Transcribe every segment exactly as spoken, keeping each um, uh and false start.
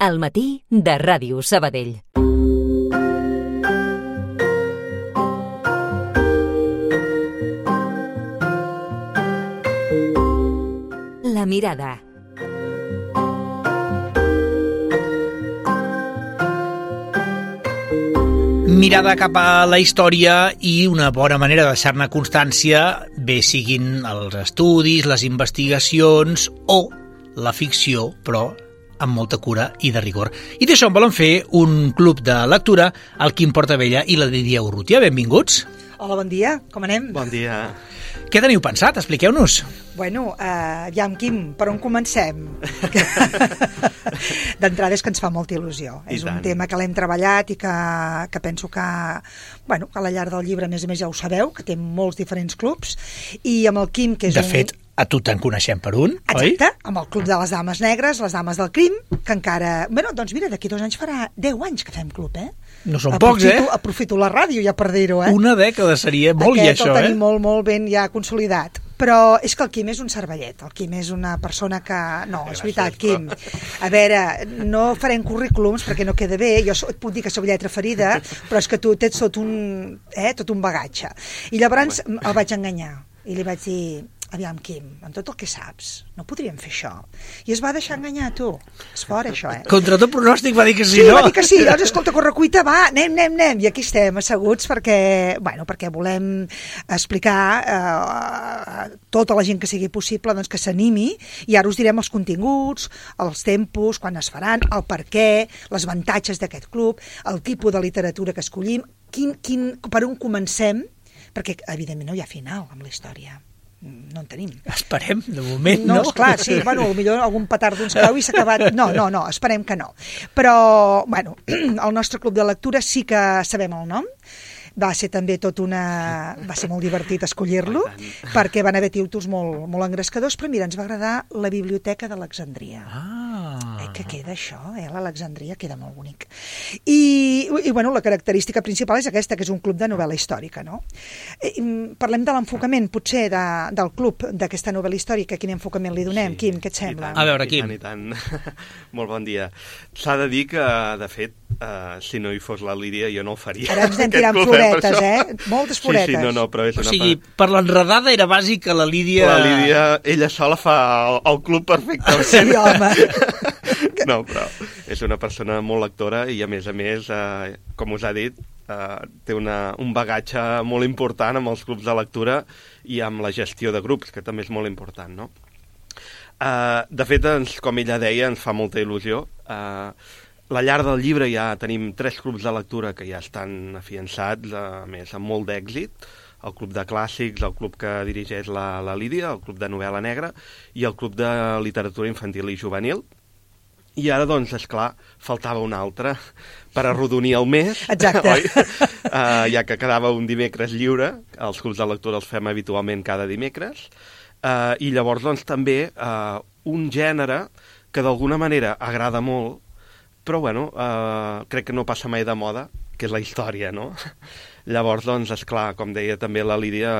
Al matí de Ràdio Sabadell. La mirada. Mirada cap a la història i una bona manera de deixar-ne constància, bé siguin els estudis, les investigacions o la ficció, però amb molta cura i de rigor. I d'això en volen fer un club de lectura, el Quim Portabella i la Lídia Urrutia. Benvinguts. Hola, bon dia. Com anem? Bon dia. Què teniu pensat? Expliqueu-nos. Bueno, uh, ja, Quim, per on comencem? D'entrada és que ens fa molta il·lusió. I és tant. Un tema que l'hem treballat i que, que penso que, bueno, que a la llarg del llibre, a més a més, ja ho sabeu, que té molts diferents clubs, i amb el Quim, que és de un... De fet, a tu te'n coneixem per un, Exacte, oi? Exacte, amb el Club de les Dames Negres, les Dames del Crim, que encara... Bueno, doncs mira, d'aquí dos anys farà deu anys que fem club, eh? No són aprofito, pocs, eh? Aprofito la ràdio ja per dir-ho, eh? Una dècada seria molt, Aquest, i això, el tenim eh? molt, molt ben ja consolidat. Però és que el Quim és un cervellet, el Quim és una persona que... No, és veritat, Quim. A veure, no farem currículums perquè no queda bé, jo et puc dir que soc lletra ferida, però és que tu tens tot un, eh, tot un bagatge. I llavors el vaig enganyar i li vaig dir... Aviam, Quim, amb tot el que saps, no podríem fer això. I es va deixar enganyar, tu. És fora, això, eh? Contra tot pronòstic va dir que sí, sí no? Sí, va dir que sí. Llavors, escolta, correcuita, va, anem, anem, anem. I aquí estem, asseguts, perquè, bueno, perquè volem explicar eh, tota la gent que sigui possible doncs, que s'animi, i ara us direm els continguts, els tempos, quan es faran, el per què, les avantatges d'aquest club, el tipus de literatura que escollim, quin, quin, per on comencem, perquè, evidentment, no hi ha final amb la història. No en tenim. Esperem, de moment, no? No, esclar, sí, bueno, potser algun petard d'uns cau i s'ha acabat... No, no, no, esperem que no. Però, bueno, el nostre club de lectura sí que sabem el nom. Va ser també tot una... Va ser molt divertit escollir-lo, perquè van haver títols molt, molt engrescadors, però mira, ens va agradar la Biblioteca d'Alexandria. Ah. Eh, que queda això, eh? L'Alexandria queda molt bonic. I, i, bueno, la característica principal és aquesta, que és un club de novel·la històrica, no? Eh, parlem de l'enfocament, potser, de, del club d'aquesta novel·la històrica. Quin enfocament li donem? Sí, Quim, què et sembla? Tant, a veure, Quim. I tant, i tant. Molt bon dia. S'ha de dir que, de fet, uh, si no hi fos la Lídia, jo no ho faria. Ara ens anem tirant floretes, eh? Moltes floretes. Sí, sí, no, no, però és o una... sigui, per l'enredada era bàsic que la Lídia... La Lídia, ella sola fa el, el club perfectament. Sí, home. No, però és una persona molt lectora i, a més a més, eh, com us ha dit, eh, té una, un bagatge molt important amb els clubs de lectura i amb la gestió de grups, que també és molt important, no? Eh, de fet, ens, com ella deia, ens fa molta il·lusió. Eh, la llar del llibre ja tenim tres clubs de lectura que ja estan afiançats, a més, amb molt d'èxit. El Club de Clàssics, el club que dirigeix la, la Lídia, el Club de Novel·la Negra i el Club de Literatura Infantil i Juvenil. I ara, doncs, esclar, faltava un altre per arrodonir el mes. Exacte. Oi? Uh, ja que quedava un dimecres lliure, els clubs de lectura els fem habitualment cada dimecres, uh, i llavors, doncs, també uh, un gènere que d'alguna manera agrada molt, però, bueno, uh, crec que no passa mai de moda, que és la història, no? Llavors, doncs, esclar, com deia també la Lídia,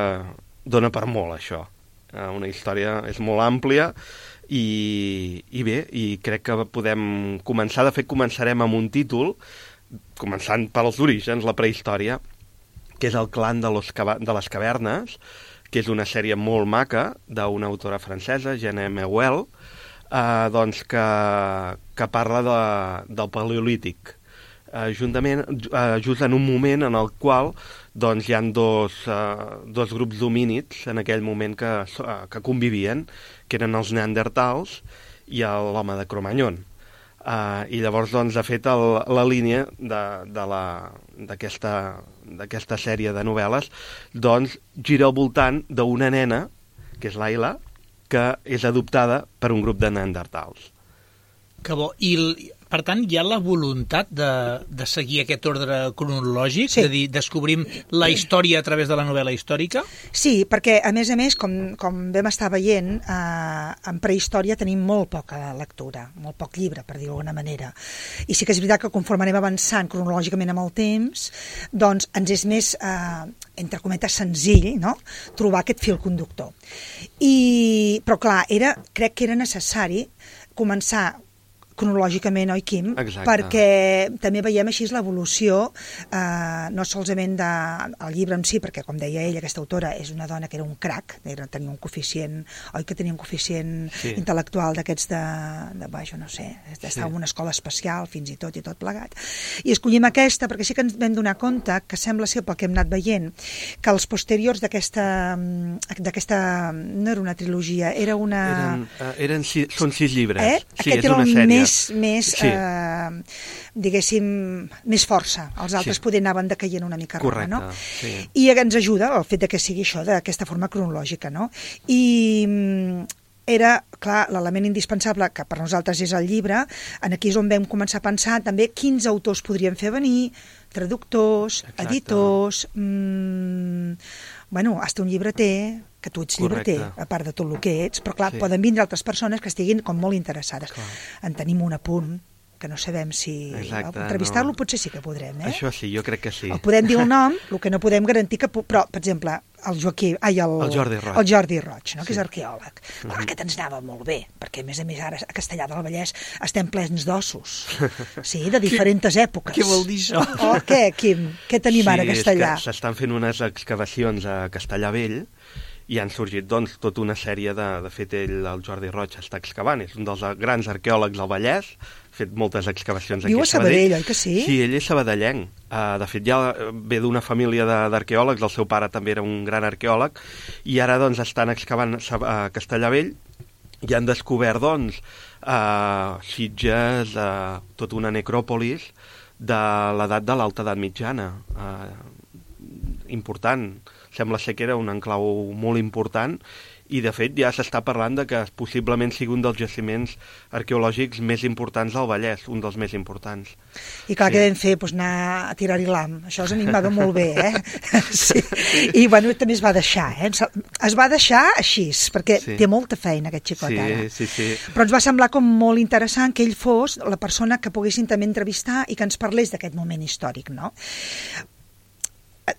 dona per molt, això. Uh, una història és molt àmplia, I, i bé, i crec que podem començar, de fet començarem amb un títol, començant pels orígens, la prehistòria, que és el Clan de, los, de les Cavernes, que és una sèrie molt maca d'una autora francesa, Jeanne Meuel, eh, doncs que, que parla de, del Paleolític, eh, juntament, eh, just en un moment en el qual doncs, hi ha dos, uh, dos grups d'homínids en aquell moment que, uh, que convivien, que eren els neandertals i l'home de Cro-Magnon. Uh, I llavors, doncs, de fet, el, la línia d'aquesta sèrie de novel·les doncs, gira al voltant d'una nena, que és l'Ayla, que és adoptada per un grup de neandertals. Que bo. I, per tant, hi ha la voluntat de, de seguir aquest ordre cronològic, sí. De dir, descobrim la història a través de la novel·la històrica? Sí, perquè, a més a més, com, com vam estar veient, eh, en prehistòria tenim molt poca lectura, molt poc llibre, per dir-ho d'alguna manera. I sí que és veritat que conforme anem avançant cronològicament amb el temps, doncs ens és més, eh, entre cometes, senzill, no?, trobar aquest fil conductor. I, però, clar, era, crec que era necessari començar cronològicament, oi, Quim? Exacte. Perquè també veiem així l'evolució, eh, no solament del llibre en si, perquè, com deia ella, aquesta autora és una dona que era un crac, era, tenia un coeficient, oi que tenia un coeficient sí. intel·lectual d'aquests de, de, vaja, no sé, d'estar sí. en una escola especial, fins i tot, i tot plegat. I escollim aquesta, perquè sí que ens vam donar compte que sembla ser, pel que hem anat veient, que els posteriors d'aquesta, d'aquesta no era una trilogia, era una... Eren, uh, eren sis, són sis llibres. Eh? Sí, Aquest és era una el sèrie. més, més sí. eh, diguéssim, més força. Els altres sí. poder anaven decaient una mica roba, no? Sí. I ens ajuda el fet de que sigui això, d'aquesta forma cronològica, no? I era, clar, l'element indispensable, que per nosaltres és el llibre, en aquí és on vam començar a pensar també quins autors podrien fer venir, traductors, Exacte. editors, mmm, bueno, hasta un llibreter, que tu ets Correcte. llibreter, a part de tot el que ets, però clar, Sí. poden vindre altres persones que estiguin com molt interessades. Clar. En tenim un apunt, que no sabem si... Exacte, entrevistar-lo no. potser sí que podrem, eh? Això sí, jo crec que sí. El podem dir el nom, el que no podem garantir que... Però, per exemple, el Joaquim... Ai, el, El Jordi Roig. El Jordi Roig, no? Sí. Que és arqueòleg. Clar, mm-hmm. aquest ens anava molt bé, perquè a més a més ara a Castellar del Vallès estem plens d'ossos. Sí, de diferents èpoques. Què vol dir això? Oh, què, Quim? Què tenim sí, ara a Castellar? Sí, s'estan fent unes excavacions a Castellar Vell i han sorgit, doncs, tota una sèrie de... De fet, ell, el Jordi Roig, està excavant. És un dels grans arqueòlegs del Vallès, ha fet moltes excavacions aquí Viu a a Sabadell, oi que sí? Sí, ell és sabadellenc. Uh, de fet, ja ve d'una família d'arqueòlegs, el seu pare també era un gran arqueòleg, i ara, doncs, estan excavant a Castellar Vell i han descobert, doncs, uh, sitges, uh, tota una necròpolis de l'edat de l'alta edat mitjana. Uh, important. Sembla ser que era un enclau molt important i, de fet, ja s'està parlant de que possiblement sigui un dels jaciments arqueològics més importants del Vallès, un dels més importants. I clar, sí. Què vam fer? Pues anar a tirar-hi l'am. Això a mi em va molt bé, eh? Sí. I, bueno, també es va deixar, eh? Es va deixar així, perquè sí. té molta feina, aquest xicot, sí, ara. Sí, sí. Però ens va semblar com molt interessant que ell fos la persona que poguessin també entrevistar i que ens parlés d'aquest moment històric, no?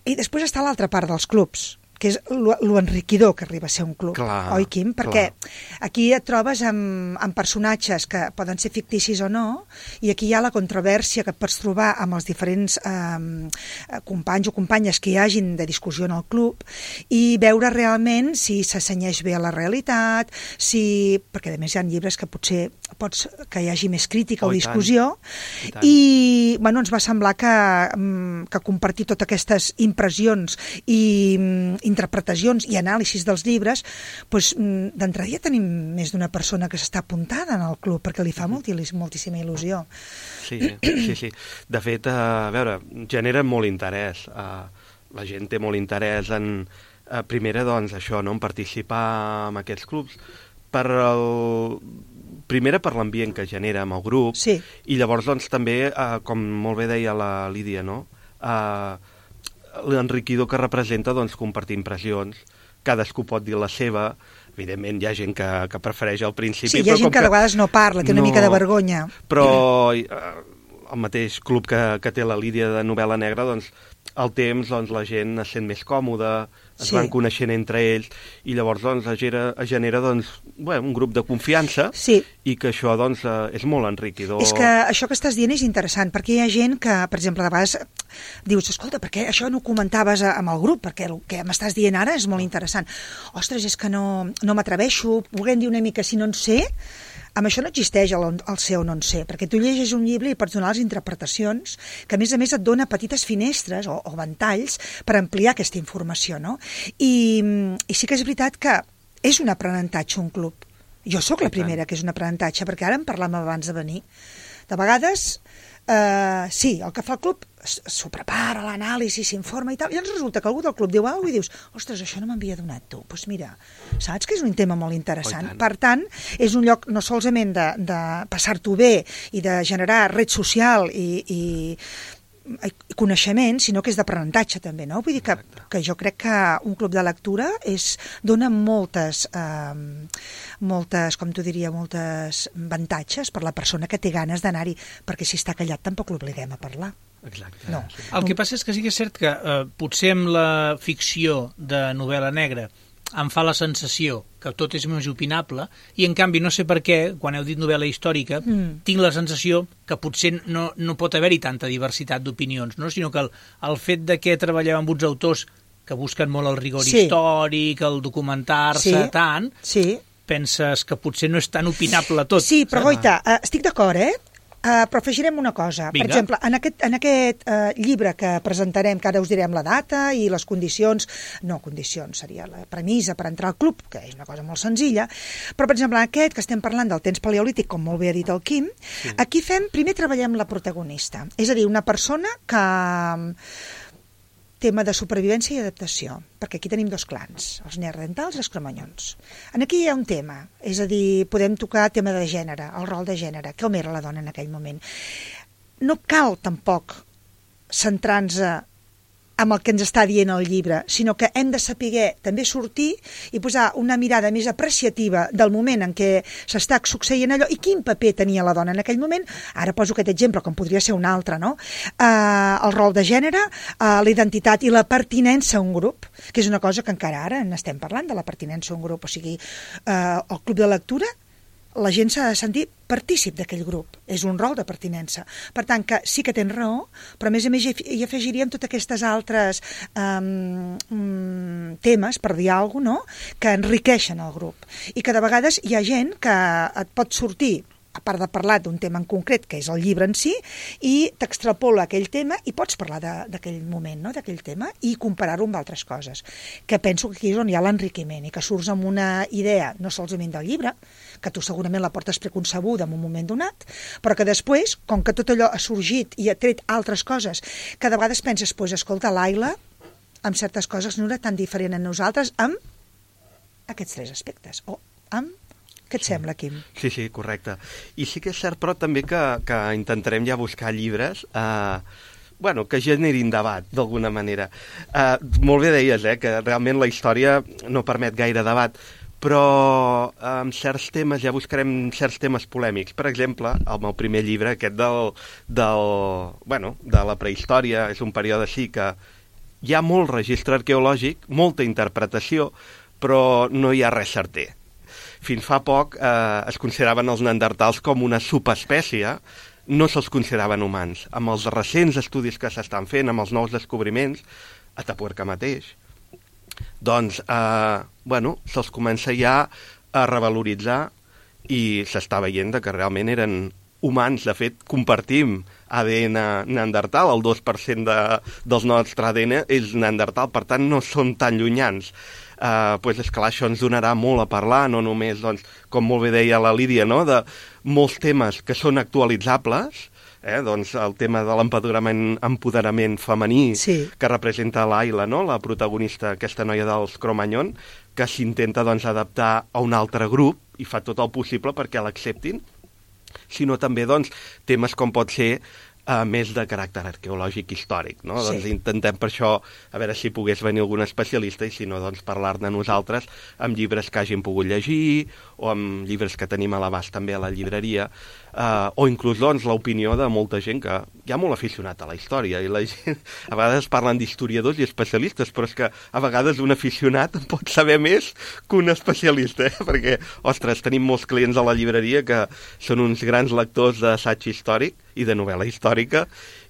I després està l'altra part dels clubs, que és l'enriquidor que arriba a ser un club, clar, oi, Quim? Perquè clar. aquí et trobes amb, amb personatges que poden ser ficticis o no, i aquí hi ha la controvèrsia que et pots trobar amb els diferents eh, companys o companyes que hi hagin de discussió en el club, i veure realment si s'assenyeix bé a la realitat, si... perquè a més hi ha llibres que potser pots que hi hagi més crítica oh, o discussió, i, i bueno, ens va semblar que, que compartir totes aquestes impressions i interpretacions i anàlisis dels llibres, doncs, d'entrada ja tenim més d'una persona que s'està apuntada en el club, perquè li fa moltíssima il·lusió. Sí, sí, sí. De fet, a veure, genera molt interès. La gent té molt interès en, primera, doncs, això, no?, en participar en aquests clubs, per el... primera per l'ambient que genera amb el grup, sí. i llavors, doncs, també, com molt bé deia la Lídia, no?, eh, l'enriquidor que representa, doncs, compartir impressions, cadascú pot dir la seva, evidentment hi ha gent que, que prefereix al principi... Sí, hi ha gent que de vegades no parla, té una no, mica de vergonya. Però eh, el mateix club que, que té la Lídia de novel·la negra, doncs, al temps, doncs, la gent es sent més còmoda, es sí. van coneixent entre ells, i llavors, doncs, es genera, es genera doncs, bé, un grup de confiança, sí. i que això, doncs, és molt enriquidor. És que això que estàs dient és interessant, perquè hi ha gent que, per exemple, de vegades dius, escolta, per què això no ho comentaves amb el grup? Perquè el que m'estàs dient ara és molt interessant. Ostres, és que no, no m'atreveixo, volguem dir una mica si no en sé. Amb això no existeix el, el ser o no en ser, perquè tu llegeixes un llibre i pots donar les interpretacions, que a més a més et dona petites finestres o, o ventalls per ampliar aquesta informació, no? I, i sí que és veritat que és un aprenentatge un club. Jo sóc la primera que és un aprenentatge, perquè ara en parlàvem abans de venir. De vegades, eh, sí, el que fa el club s'ho prepara, l'anàlisi, s'informa i tal, i ens resulta que algú del club diu alguna cosa i dius, ostres, això no m'havia donat tu. Doncs pues mira, saps que és un tema molt interessant. Per tant, és un lloc no solament de, de passar-t'ho bé i de generar red social i, i i coneixement, sinó que és d'aprenentatge també, no? Vull dir que, que jo crec que un club de lectura és, dona moltes, eh, moltes, com t'ho diria, moltes avantatges per la persona que té ganes d'anar-hi, perquè si està callat tampoc l'obliguem a parlar. Exacte. No. El que passa és que sí que és cert que eh, potser amb la ficció de novel·la negra em fa la sensació que tot és més opinable, i en canvi no sé per què, quan heu dit novel·la històrica, mm. tinc la sensació que potser no, no pot haver-hi tanta diversitat d'opinions, no? Sinó que el, el fet de que treballeu amb uns autors que busquen molt el rigor sí. històric, el documentar-se sí. tant, sí. penses que potser no és tan opinable tot. Sí, però goita, uh, estic d'acord, eh? Uh, però afegirem una cosa. Vinga. Per exemple, en aquest, en aquest uh, llibre que presentarem, que ara us direm la data i les condicions, no condicions, seria la premissa per entrar al club, que és una cosa molt senzilla, però per exemple en aquest que estem parlant del temps paleolític, com molt bé ha dit el Quim, sí. aquí fem, primer treballem la protagonista, és a dir, una persona que... tema de supervivència i adaptació, perquè aquí tenim dos clans, els neandertals i els cromanyons. En aquí hi ha un tema, és a dir, podem tocar tema de gènere, el rol de gènere, com era la dona en aquell moment. No cal tampoc centrar-nos amb el que ens està dient el llibre, sinó que hem de saber també sortir i posar una mirada més apreciativa del moment en què s'està succeint allò i quin paper tenia la dona en aquell moment. Ara poso aquest exemple, com podria ser un altre, no? Uh, el rol de gènere, uh, la identitat i la pertinença a un grup, que és una cosa que encara ara n'estem parlant, de la pertinença a un grup. O sigui, uh, el club de lectura, la gent s'ha de sentir partícip d'aquell grup. És un rol de pertinença. Per tant, que sí que tens raó, però a més a més hi afegiríem totes aquestes altres um, um, temes, per dir alguna cosa, no?, que enriqueixen el grup. I que de vegades hi ha gent que et pot sortir, a part de parlar d'un tema en concret, que és el llibre en si, i t'extrapola aquell tema i pots parlar d'aquell moment, no?, d'aquell tema, i comparar-ho amb altres coses. Que penso que aquí és on hi ha l'enriquiment, i que surts amb una idea, no solament del llibre, que tu segurament la portes preconcebuda en un moment donat, però que després, com que tot allò ha sorgit i ha tret altres coses, que de vegades penses, pues, escolta, l'Aila, amb certes coses no era tan diferent a nosaltres, amb aquests tres aspectes, o amb... Què et sembla, Quim? Sí, sí, correcte. I sí que és cert, però, també que, que intentarem ja buscar llibres eh, bueno, que generin debat, d'alguna manera. Eh, molt bé deies, eh, que realment la història no permet gaire debat, però amb certs temes ja buscarem certs temes polèmics. Per exemple, el meu primer llibre, aquest del, del, bueno, de la prehistòria, és un període sí que hi ha molt registre arqueològic, molta interpretació, però no hi ha res certer. Fins fa poc eh, es consideraven els neandertals com una subespècie, no se'ls consideraven humans. Amb els recents estudis que s'estan fent, amb els nous descobriments, a Tapuerca mateix, doncs, eh, bueno, se'ls comença ja a revaloritzar i s'està veient que realment eren humans. De fet, compartim A D N neandertal, el dos per cent de, del nostre A D N és neandertal, per tant no són tan llunyans. Uh, pues és clar, això ens donarà molt a parlar, no només, doncs, com molt bé deia la Lídia, no?, de molts temes que són actualitzables, eh? Doncs el tema de l'empoderament empoderament femení, sí, que representa l'Aila, no?, la protagonista, aquesta noia dels Cro-Magnon, que s'intenta, doncs, adaptar a un altre grup i fa tot el possible perquè l'acceptin, sinó també, doncs, temes com pot ser Uh, més de caràcter arqueològic històric, no? Sí. Doncs intentem per això, a veure si pogués venir algun especialista i si no, doncs parlar-ne nosaltres amb llibres que hagin pogut llegir o amb llibres que tenim a l'abast també a la llibreria, uh, o inclús, doncs, l'opinió de molta gent que hi ha molt aficionat a la història i la gent, a vegades parlen d'historiadors i especialistes, però és que a vegades un aficionat pot saber més que un especialista, eh? Perquè, ostres, tenim molts clients a la llibreria que són uns grans lectors d'assaig històric i de novel·la històrica,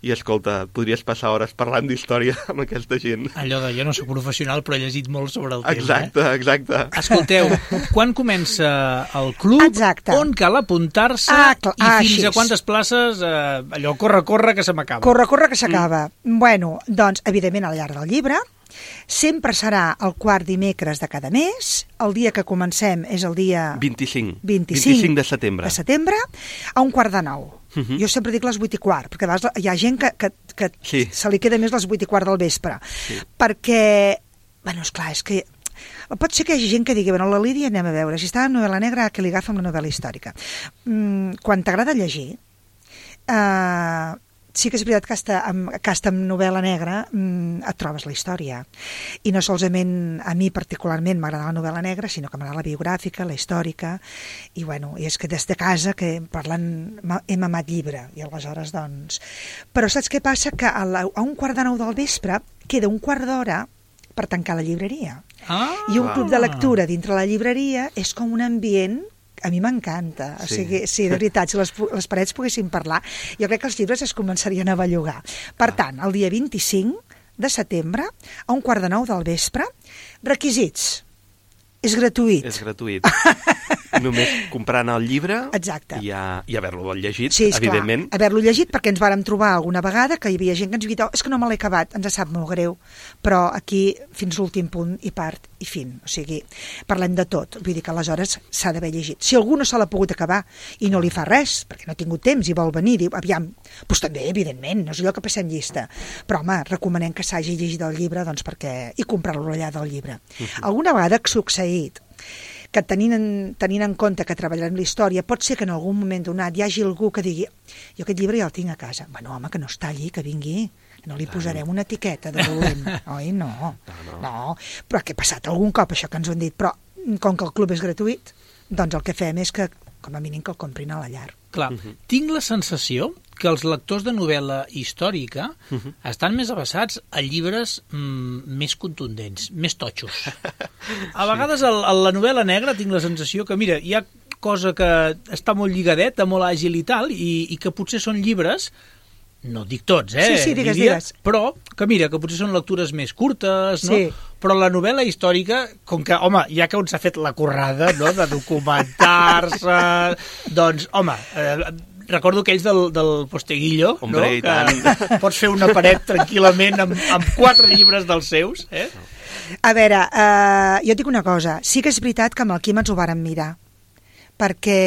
i escolta, podries passar hores parlant d'història amb aquesta gent. Allò de jo no soc professional, però he llegit molt sobre el exacte, tema. Eh? Exacte, exacte. Escolteu, quan comença el club, exacte, on cal apuntar-se ah, i ah, fins així. A quantes places, eh, allò, corre, corre, que se m'acaba. Corre, corre, que s'acaba. Mm. Bueno, doncs, evidentment, al llarg del llibre, sempre serà el quart dimecres de cada mes, el dia que comencem és el dia... vint-i-cinc. vint-i-cinc, vint-i-cinc de setembre. De setembre, a un quart de nou. Uh -huh. Jo sempre dic les vuit i quart, perquè a vegades hi ha gent que, que, que sí. se li queda més les vuit i quart del vespre. Sí. Perquè, bueno, esclar, és que pot ser que hi hagi gent que digui, bueno, la Lídia anem a veure, si està en novel·la negra, que li agafa amb la novel·la històrica. Mm, quan t'agrada llegir, eh, sí que és veritat que hasta amb, que hasta amb novel·la negra mm, et trobes la història. I no solament a mi particularment m'agrada la novel·la negra, sinó que m'agrada la biogràfica, la històrica, i bueno, i és que des de casa que parlant hem amat llibre, i aleshores doncs... Però saps què passa? Que a, la, a un quart de nou del vespre queda un quart d'hora per tancar la llibreria. Ah, I un club de lectura dintre la llibreria és com un ambient a mi m'encanta, o Sí. sigui, sí, de veritat, si les, les parets poguessin parlar, jo crec que els llibres es començarien a bellugar. Per tant, el dia vint-i-cinc de setembre, a un quart de nou del vespre, requisits. És gratuït. És gratuït. Només comprant el llibre Exacte. i, a, i haver-lo llegit, Sí, evidentment. esclar, haver-lo llegit, perquè ens vàrem trobar alguna vegada que hi havia gent que ens havia dit, oh, és que no me l'he acabat, ens sap molt greu, però aquí fins l'últim punt i part i fin, o sigui, parlem de tot, vull dir que aleshores s'ha d'haver llegit. Si algú no se l'ha pogut acabar i no li fa res, perquè no ha tingut temps i vol venir, diu, aviam, doncs també, evidentment, no és allò que passem llista, però home, recomanem que s'hagi llegit el llibre, doncs perquè, i comprar-lo allà del llibre. Uh-huh. Alguna vegada ha succeït que tenint en, tenint en compte que treballarem la història, pot ser que en algun moment donat hi hagi algú que digui jo aquest llibre ja el tinc a casa. Bueno, home, que no està allí, que vingui. No li posarem una etiqueta de dolent. Oi, no. No, no. no. Però què ha passat algun cop, això que ens ho han dit? Però com que el club és gratuït, doncs el que fem és que, com a mínim, que el comprin a la llar. Clar, uh-huh. tinc la sensació que els lectors de novel·la històrica uh-huh. estan més avessats a llibres mm, més contundents, més totxos. A vegades a, a la novel·la negra tinc la sensació que, mira, hi ha cosa que està molt lligadeta, molt àgil i tal, i, i que potser són llibres, no dic tots, eh? Sí, sí, digues, diria, digues. però que mira, que potser són lectures més curtes, no? Sí. Però la novel·la històrica, com que, home, ja que on s'ha fet la currada, no?, de documentar-se, doncs, home, eh, recordo aquells del, del Posteguillo, Hombre, no?, i tant. que pots fer una paret tranquil·lament amb, amb quatre llibres dels seus, eh? A veure, eh, jo et dic una cosa, sí que és veritat que amb el Quim ens ho vàrem mirar, perquè,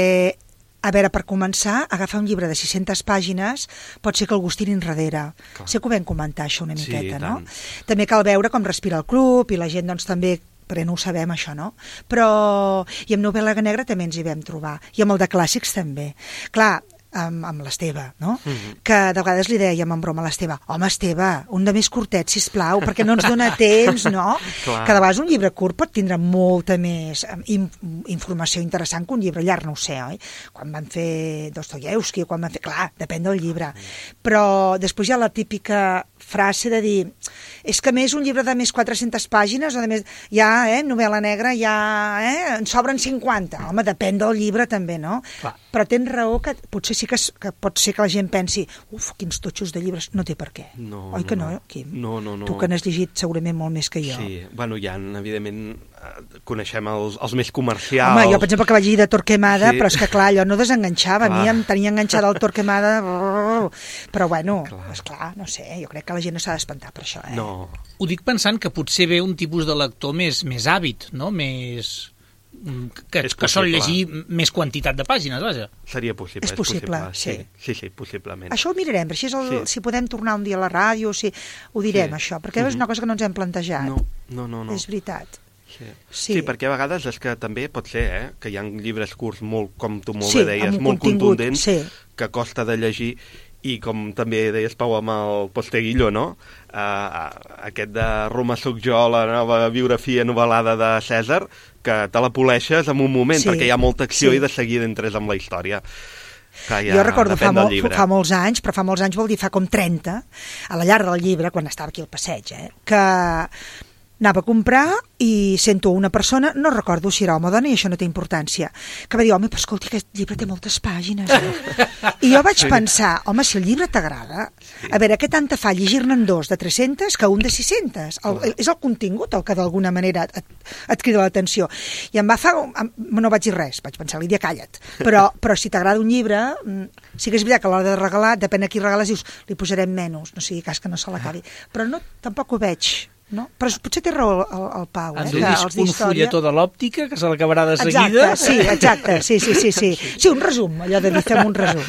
a veure, per començar, agafar un llibre de sis-centes pàgines pot ser que el gustin enrere. Clar. Sé que ho vam comentar, això, una Sí, miqueta, i no? tant. També cal veure com respira el club i la gent, doncs, també perquè no ho sabem, això, no? Però, i amb novel·la negra també ens hi vam trobar, i amb el de clàssics també. Clar, amb, amb l'Esteve, no? Mm-hmm. Que de vegades li dèiem en broma a l'Esteve, home, Esteve, un de més curtet, sisplau, perquè no ens dona temps, no? Clar. Que de vegades un llibre curt pot tindre molta més in, informació interessant que un llibre llarg, no ho sé, oi? Quan van fer Dostoyevsky, quan van fer... Clar, depèn del llibre. Però després hi ha la típica frase de dir és que més un llibre de més quatre-centes pàgines o de més, ja, eh, novel·la negra ja, eh, en sobren cinquanta. Home, depèn del llibre també, no? Clar. Però tens raó que potser sí que, que pot ser que la gent pensi uf, quins totxos de llibres, no té per què. No, Oi no, que no, no. Quim? No, no, no. Tu que n'has llegit segurament molt més que jo. Sí, bueno, ja, evidentment, eh, coneixem els, els més comercials. Home, jo, per exemple, que vaig llegir de Torquemada, Sí. però és que, clar, allò no desenganxava. A mi Clar. em tenia enganxada el Torquemada. Però, bueno, Clar. esclar, no sé, jo crec que la gent no s'ha d'espantar per això, eh? No, Ho dic pensant que potser ve un tipus de lector més, més hàbit, no?, més... que, És que sol possible. llegir més quantitat de pàgines, vaja. seria possible. És possible, sí. sí. Sí, sí, possiblement. Això ho mirarem, així és el, Sí. si podem tornar un dia a la ràdio, si ho direm, Sí. això, perquè és una cosa que no ens hem plantejat. No, no, no. no. És veritat. Sí. Sí. sí, perquè a vegades és que també pot ser eh, que hi ha llibres curts, molt, com tu molt Sí, bé deies, amb un molt contingut, contundents, sí. que costa de llegir, i com també deies, Pau, amb el Posteguillo, no? Uh, aquest de Roma Soc jo, la nova biografia novel·lada de Cèsar, que te la poleixes en un moment, Sí, perquè hi ha molta acció sí. i de seguida entres amb la història. Que ja Jo recordo fa, depèn del molt, llibre. fa molts anys, però fa molts anys vol dir fa com trenta, a la llar del llibre, quan estava aquí al passeig, eh, que anava a comprar i sento una persona, no recordo si era home o dona i això no té importància, que va dir, home, però escolti, aquest llibre té moltes pàgines. Eh? I jo vaig sí. pensar, home, si el llibre t'agrada, sí. a veure, què tanta fa llegir-ne'n dos de tres-centes que un de sis-centes? El, el, és el contingut el que d'alguna manera et, et crida l'atenció. I em va fer... No vaig dir res, vaig pensar, Lídia, calla't. Però, però si t'agrada un llibre, sí que és veritat que a l'hora de regalar, depèn a qui regales, dius, li posarem menys, no sigui cas que no se l'acabi. Però no, tampoc ho veig. No? Però potser té raó el, el Pau, eh? Han que de els dir un fulletó de l'òptica que se l'acabarà de seguida. Exacte, sí, exacte, sí, sí, sí, sí. Sí, un resum, allò de dir, fem un resum.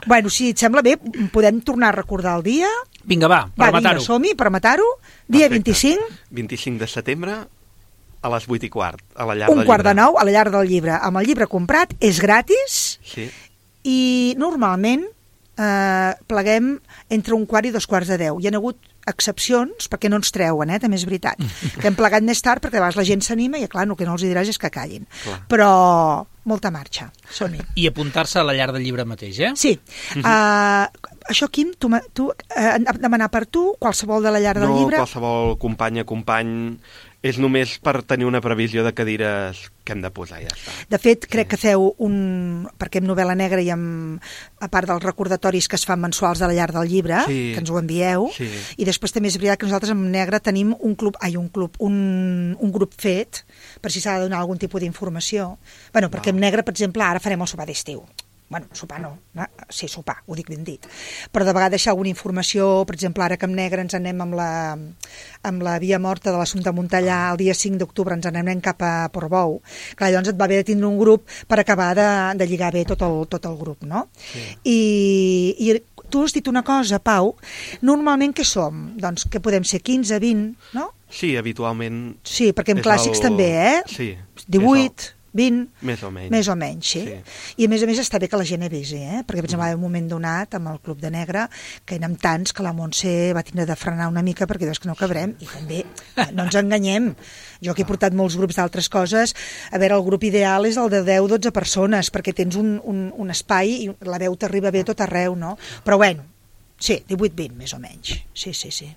Bueno, si et sembla bé, podem tornar a recordar el dia. Vinga, va, per Va, vinga, matar-ho. som-hi, per matar-ho. Dia Perfecte. vint-i-cinc, vint-i-cinc de setembre a les vuit i quart, a la llar un del quart de llibre. nou, a la llar del llibre. Amb el llibre comprat, és gratis Sí, i normalment eh, pleguem entre un quart i dos quarts de deu. Hi ha hagut excepcions, perquè no ens treuen, eh? També és veritat. Que hem plegat més tard perquè a vegades la gent s'anima i, clar, el que no els hi diràs és que callin. Clar. Però molta marxa. Som-hi. I apuntar-se a la llar del llibre mateix, eh? Sí. Uh, això, Quim, tu, tu uh, demanar per tu, qualsevol de la llar del no, llibre... No, qualsevol companya, company... És només per tenir una previsió de cadires que hem de posar, ja està. De fet, crec sí. que feu un... Perquè amb Novel·la Negra i amb... a part dels recordatoris que es fan mensuals de la llar del llibre, sí. que ens ho envieu, sí. i després també és veritat que nosaltres amb Negra tenim un club, ai, un club, un, un grup fet, per si s'ha de donar algun tipus d'informació. Bueno, perquè amb Negra, per exemple, ara farem el sopar d'estiu. Bueno, sopar no, no, sí, sopar, ho dic ben dit. Però de vegades deixar alguna informació, per exemple, ara que amb Negra ens anem amb la, amb la via morta de l'Assumpte Montellà, el dia cinc d'octubre ens anem cap a Portbou. Clar, llavors et va haver de tindre un grup per acabar de, de lligar bé tot el, tot el grup, no? Sí. I, I tu has dit una cosa, Pau, normalment què som? Doncs que podem ser quinze, vint, no? Sí, habitualment... Sí, perquè en clàssics el... també, eh? Sí. divuit... vint, més o menys, més o menys sí. sí. I a més a més està bé que la gent avisi, eh? Perquè per exemple, hi ha un moment donat amb el Club de Negre que érem tants que la Montse va tindre de frenar una mica perquè dius que no cabrem, i també no ens enganyem, jo que he portat molts grups d'altres coses, a veure, el grup ideal és el de deu dotze persones perquè tens un, un, un espai i la veu t'arriba bé tot arreu, no? Però bueno, sí, divuit vint més o menys, sí, sí, sí.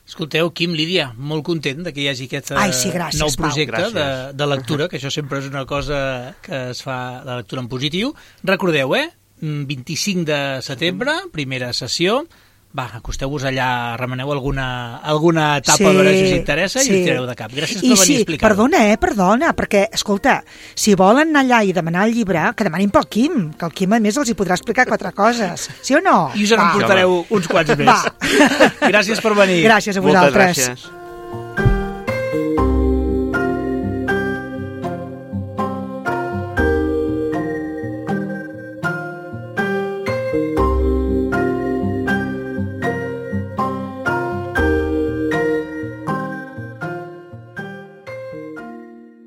Escolteu, Quim, Lídia, molt content de que hi hagi aquest Ai, sí, gràcies, nou projecte de, de lectura, que això sempre és una cosa que es fa, la lectura en positiu. Recordeu, eh? vint-i-cinc de setembre, primera sessió. Va, acosteu-vos allà, remeneu alguna, alguna etapa sí, a veure si us interessa i sí. us tireu de cap. Gràcies I per venir sí, a explicar-ho. Perdona, eh, perdona, perquè, escolta, si volen anar allà i demanar el llibre, que demanin pel Quim, que el Quim, a més, els hi podrà explicar quatre coses. Sí o no? I us en portareu uns quants més. Va. Gràcies per venir. Gràcies a vosaltres. Moltes gràcies.